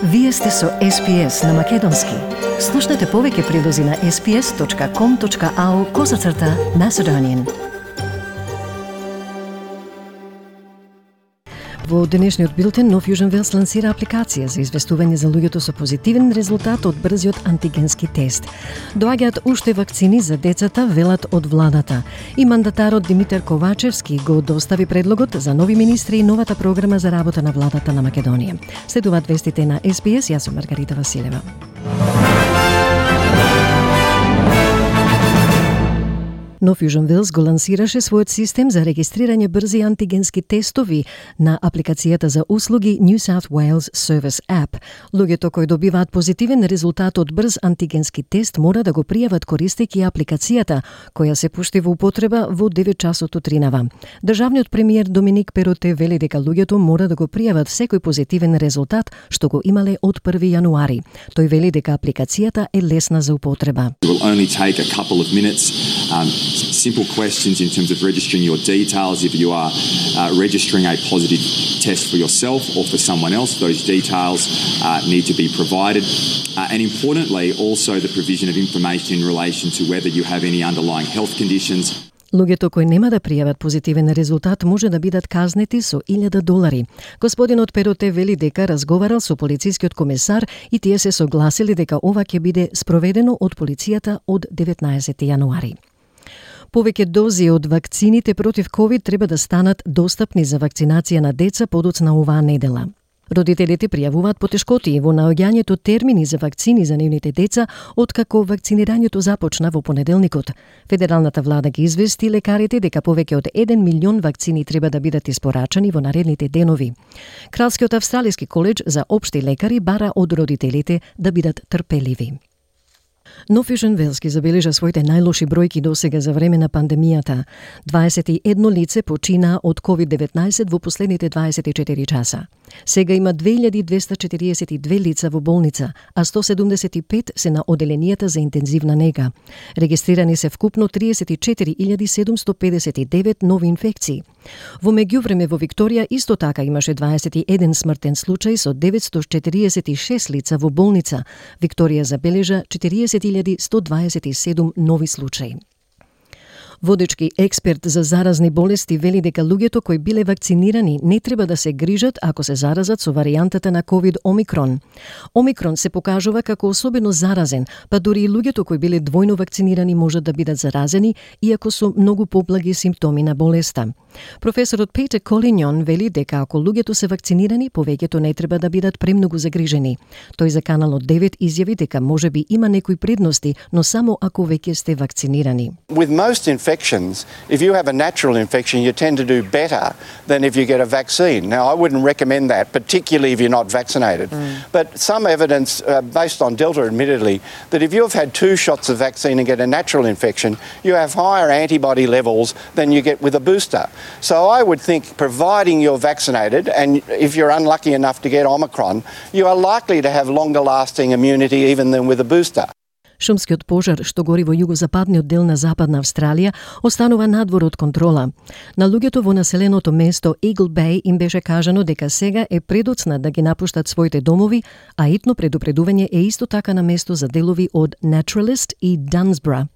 Вие сте со SPS на Македонски. Слушнете повеќе прилози на sps.com.au/Macedonian. Во денешниот билтен, Нов Јужен Велс лансира апликација за известување за луѓето со позитивен резултат од брзиот антигенски тест. Доаѓаат уште вакцини за децата, велат од владата. И мандатарот Димитар Ковачевски го достави предлогот за нови министри и новата програма за работа на владата на Македонија. Следуваат вестите на SPS, јас сум Маргарита Василева. Нов Јужен Велс го лансираше својот систем за регистрирање брзи антигенски тестови на апликацијата за услуги New South Wales Service App. Луѓето кои добиваат позитивен резултат од брз антигенски тест мора да го пријават користејќи апликацијата, која се пушти во употреба во 9 часот утринава. Државниот премиер Доминик Перотте вели дека луѓето мора да го пријават секој позитивен резултат што го имале од 1 јануари. Тој вели дека апликацијата е лесна за употреба. Simple questions in terms of registering your details. If you are registering a positive test for yourself or for someone else, those details need to be provided. And importantly, also the provision of information in relation to whether you have any underlying health conditions. Луѓето кои нема да пријават позитивен резултат може да бидат казнети со $1,000. Господинот Перотте вели дека разговарал со полицискиот комесар и тие се согласили дека ова ќе биде спроведено од полицијата од 19 јануари. Повеќе дози од вакцините против COVID треба да станат достапни за вакцинација на деца подоцна оваа недела. Родителите пријавуваат потешкоти во наоѓањето термини за вакцини за нивните деца откако вакцинирањето започна во понеделникот. Федералната влада ги извести лекарите дека повеќе од 1 милион вакцини треба да бидат испорачани во наредните денови. Кралскиот австралиски коледж за општи лекари бара од родителите да бидат трпеливи. Нов Јужен Велс ги забележа своите најлоши бројки досега за време на пандемијата. 21 лице почина од COVID-19 во последните 24 часа. Сега има 2242 лица во болница, а 175 се на оделенијата за интензивна нега. Регистрирани се вкупно 34.759 нови инфекции. Во меѓувреме во Викторија исто така имаше 21 смртен случај со 946 лица во болница. Викторија забележа 40.127 нови случаи. Водечки експерт за заразни болести вели дека луѓето кои биле вакцинирани не треба да се грижат ако се заразат со варијантата на COVID Омикрон. Омикрон се покажува како особено заразен, па дури и луѓето кои биле двојно вакцинирани можат да бидат заразени, иако со многу поблаги симптоми на болеста. Професорот Петер Колинјон вели дека ако луѓето се вакцинирани, повеќето не треба да бидат премногу загрижени. Тој за Каналот 9 изјави дека можеби има некои предности, но само ако веќе сте вакцинирани. With most infections, if you have a natural infection, you tend to do better than if you get a vaccine. Now, I wouldn't recommend that, particularly if you're not vaccinated. But some evidence, based on Delta admittedly, that if you've had 2 shots of vaccine and get a natural infection, you have higher antibody levels than you get with a booster. So I would think, providing you're vaccinated, and if you're unlucky enough to get Omicron, you are likely to have longer lasting immunity even than with a booster. Шумскиот пожар што гори во југозападниот дел на Западна Австралија останува надвор од контрола. На луѓето во населеното место Eagle Bay им беше кажано дека сега е предоцна да ги напуштат своите домови, а итно предупредување е исто така на место за делови од Naturalist и Dunsborough.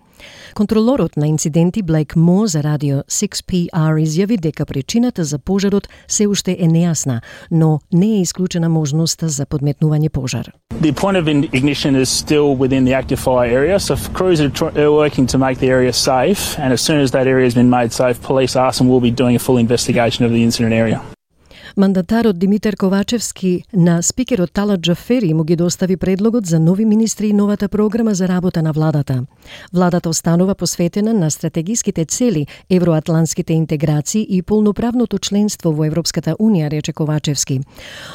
Контролорот на инциденти Блейк Мо за радио 6PR изјави дека причината за пожарот се уште е нејасна, но не е исклучена можноста за подметнување пожар. The point of ignition is still within the active fire area, so crews are working to make the area safe, and as soon as that area has been made safe, police arson will be doing a full investigation of the incident area. Мандатарот Димитар Ковачевски на спикерот Талат Џафери му ги достави предлогот за нови министри и новата програма за работа на владата. Владата останува посветена на стратегиските цели, евроатлантските интеграции и полноправното членство во Европската унија, рече Ковачевски.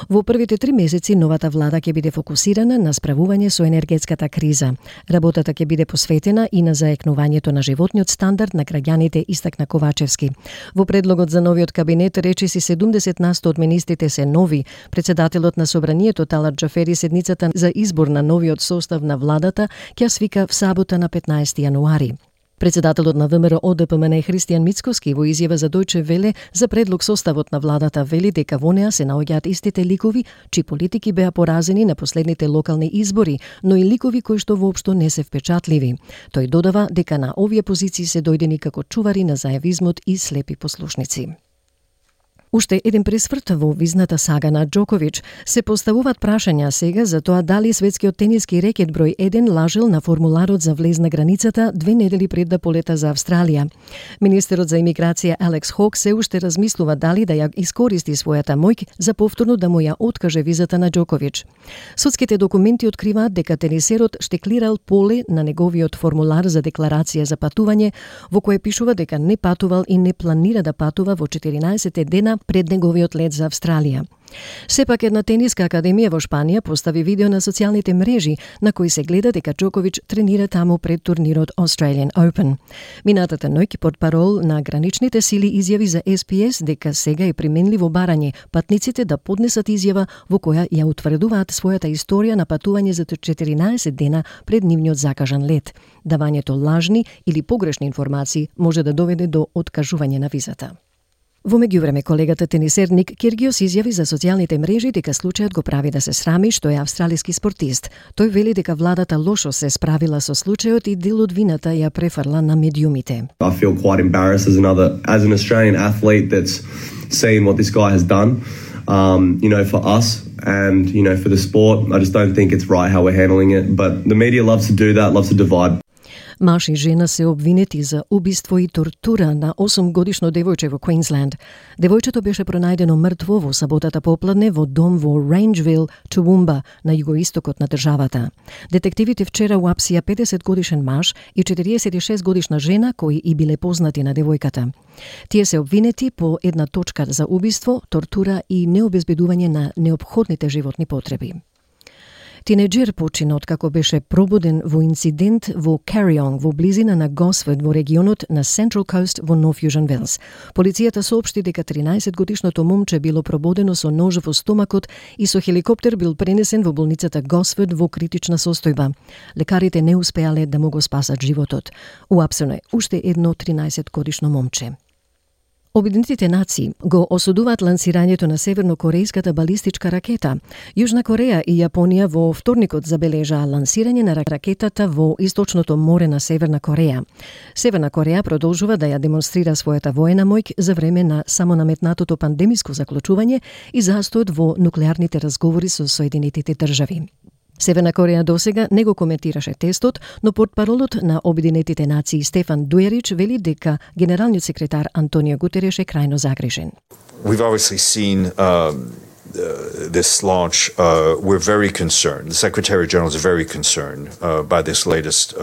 Во првите 3 месеци новата влада ќе биде фокусирана на справување со енергетската криза. Работата ќе биде посветена и на заекнувањето на животниот стандард на граѓаните, истакна Ковачевски. Во предлогот за новиот кабинет речиси 70% од министрите се нови. Председателот на собранието Талат Џафери седницата за избор на новиот состав на владата ќе свика в сабота на 15 јануари. Председателот на ВМРО ДПМН Христијан Мицкоски во изјава за Дојче Веле за предлог составот на владата вели дека во неа се наоѓаат истите ликови чии политики беа поразени на последните локални избори, но и ликови кои што воопшто не се впечатливи. Тој додава дека на овие позиции се дојдени како чувари на зајавизмот и слепи послушници. Уште еден пресврт во визната сага на Џоковиќ. Се поставуваат прашања сега за тоа дали светскиот тениски рекет број 1 лажел на формуларот за влез на границата 2 недели пред да полета за Австралија. Министерот за имиграција Алекс Хок се уште размислува дали да ја искористи својата моќ за повторно да му ја откаже визата на Џоковиќ. Судските документи откриваат дека тенисерот штеклирал поле на неговиот формулар за декларација за патување, во кое пишува дека не патувал и не планира да патува во 14 дена пред неговиот лет за Австралија. Сепак една тениска академија во Шпанија постави видео на социјалните мрежи на кои се гледа дека Џоковиќ тренира таму пред турнирот Australian Open. Минатата ноќ портпарол на граничните сили изјави за SPS дека сега е применливо барање патниците да поднесат изјава во која ја утврдуваат својата историја на патување за 14 дена пред нивниот закажан лет. Давањето лажни или погрешни информации може да доведе до откажување на визата. Во меѓувреме, колегата тенисер Ник Киргиос изјави за социјалните мрежи дека случајот го прави да се срами што е австралиски спортист. Тој вели дека владата лошо се справила со случајот и дел од вината ја префрла на медиумите. I feel quite embarrassed as an Australian athlete that's seen what this guy has done. For us and, for the sport, I just don't think it's right how we're handling it. But the media loves to do that, loves to divide. Маж и жена се обвинети за убиство и тортура на 8-годишно девојче во Квинсленд. Девојчето беше пронајдено мртво во саботата попладне во дом во Рейнџвил, Тууумба, на југоистокот на државата. Детективите вчера уапсија 50-годишен маж и 46-годишна жена кои и биле познати на девојката. Тие се обвинети по една точка за убиство, тортура и необезбедување на неопходните животни потреби. Тинеџер почина откако беше пробуден во инцидент во Карионг во близина на Госфорд во регионот на Central Coast во Нов Јужен Велс. Полицијата соопшти дека 13-годишното момче било прободено со нож во стомакот и со хеликоптер бил пренесен во болницата Госфорд во критична состојба. Лекарите не успеале да му го спасат животот. Уапсено е уште едно 13-годишно момче. Обединетите нации го осудуваат лансирањето на севернокорејската балистичка ракета. Јужна Кореја и Јапонија во вторникот забележаа лансирање на ракетата во источното море на Северна Кореја. Северна Кореја продолжува да ја демонстрира својата воена моќ за време на самонаметнатото пандемиско заклучување и застојот во нуклеарните разговори со Соединетите држави. Северна Кореја досега не го коментираше тестот, но портпаролот на Обединетите нации Стефан Дуерич вели дека генералниот секретар Антонио Гутереш е крајно загрижен. We've obviously seen this launch. We're very concerned. The Secretary General is very concerned by this latest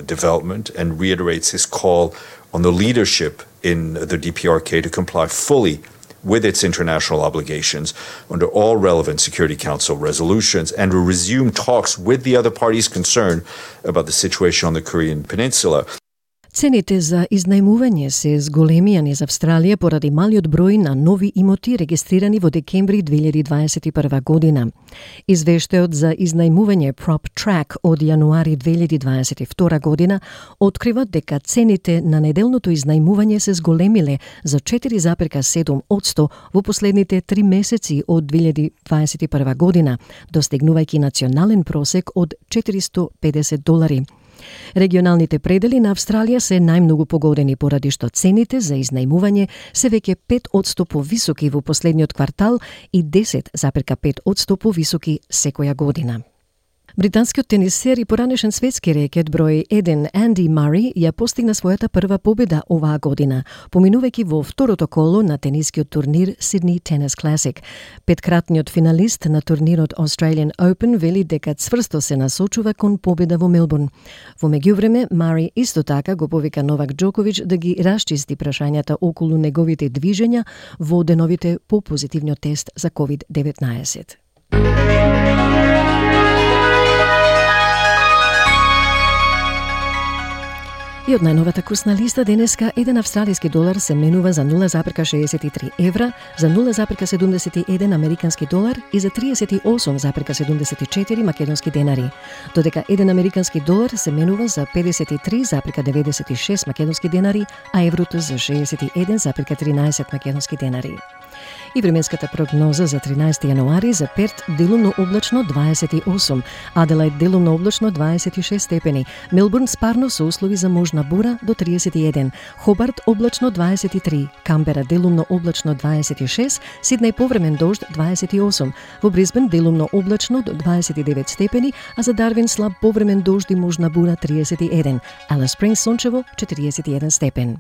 development and reiterates his call on the leadership in the DPRK to comply fully with its international obligations under all relevant Security Council resolutions and to resume talks with the other parties concerned about the situation on the Korean Peninsula. Цените за изнајмување се зголемија низ Австралија поради малиот број на нови имоти регистрирани во декември 2021 година. Извештајот за изнајмување PropTrack од јануари 2022 година открива дека цените на неделното изнајмување се зголемиле за 4,7% во последните 3 месеци од 2021 година, достигнувајќи национален просек од $450. Регионалните предели на Австралија се најмногу погодени поради што цените за изнајмување се веќе 5% повисоки во последниот квартал и 10,5% повисоки секоја година. Британскиот тенисер и поранешен светски рекет број 1 Анди Мари ја постигна својата прва победа оваа година, поминувајќи во второто коло на тенискиот турнир Sydney Tennis Classic. Петкратниот финалист на турнирот Australian Open вели дека цврсто се насочува кон победа во Мелбурн. Во меѓувреме, Мари исто така го повика Новак Џоковиќ да ги расчисти прашањата околу неговите движења во деновите по позитивниот тест за COVID-19. И од најновата курсна листа денеска 1 австралиски долар се менува за 0,63 евра, за 0,71 американски долар и за 38,74 македонски денари. Додека 1 американски долар се менува за 53,96 македонски денари, а еврото за 61,13 македонски денари. И временската прогноза за 13 јануари за Перт делумно облачно 28, Аделаид делумно облачно 26 степени, Мелбурн спарно со услови за можна бура до 31, Хобарт облачно 23, Камбера делумно облачно 26, Сиднеј повремен дожд 28, во Брисбен делумно облачно до 29 степени, а за Дарвин слаб повремен дожд и можна бура 31, Алис Спрингс сончево 41 степен.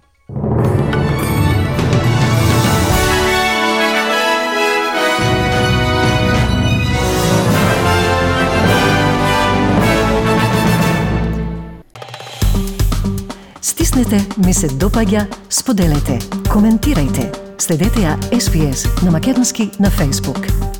Стиснете, ми се допаѓа, споделете, коментирајте. Следете ја SPS на македонски на Facebook.